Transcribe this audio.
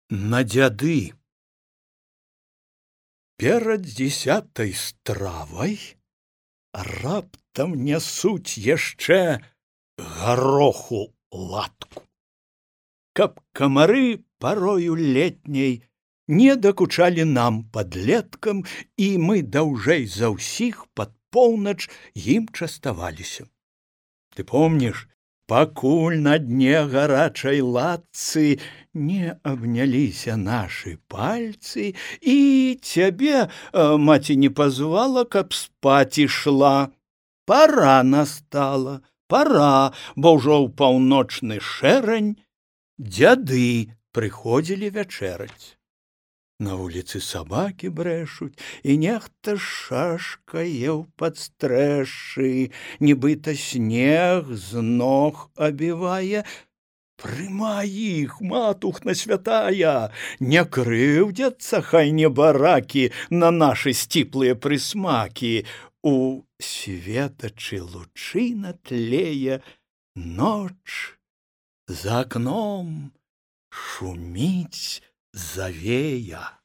На дзяды. Перад 10-й стравай раптам нясуць яшчэ гароху латку, каб камары парою летняй не дакучалі нам, падлеткам, і мы даўжэй за ўсіх пад поўнач ім частаваліся. Ты помніш, пакуль на дне гарачай латцы не абняліся нашы пальцы, і цябе маці не пазвала, каб спаць ішла. Пара настала, пара, бо ўжо ў паўночны шэрань дзяды прыходзілі вячэраць. На вуліцы сабакі брэшуць, і нехта шашкае ў падстрэшшы, нібыта снег з ног абівае. Прымай іх, матухна святая, не крыўдзяцца хай небаракі на нашы сціплыя прысмакі. У светачы лучына тлее, ноч за акном шуміць завея.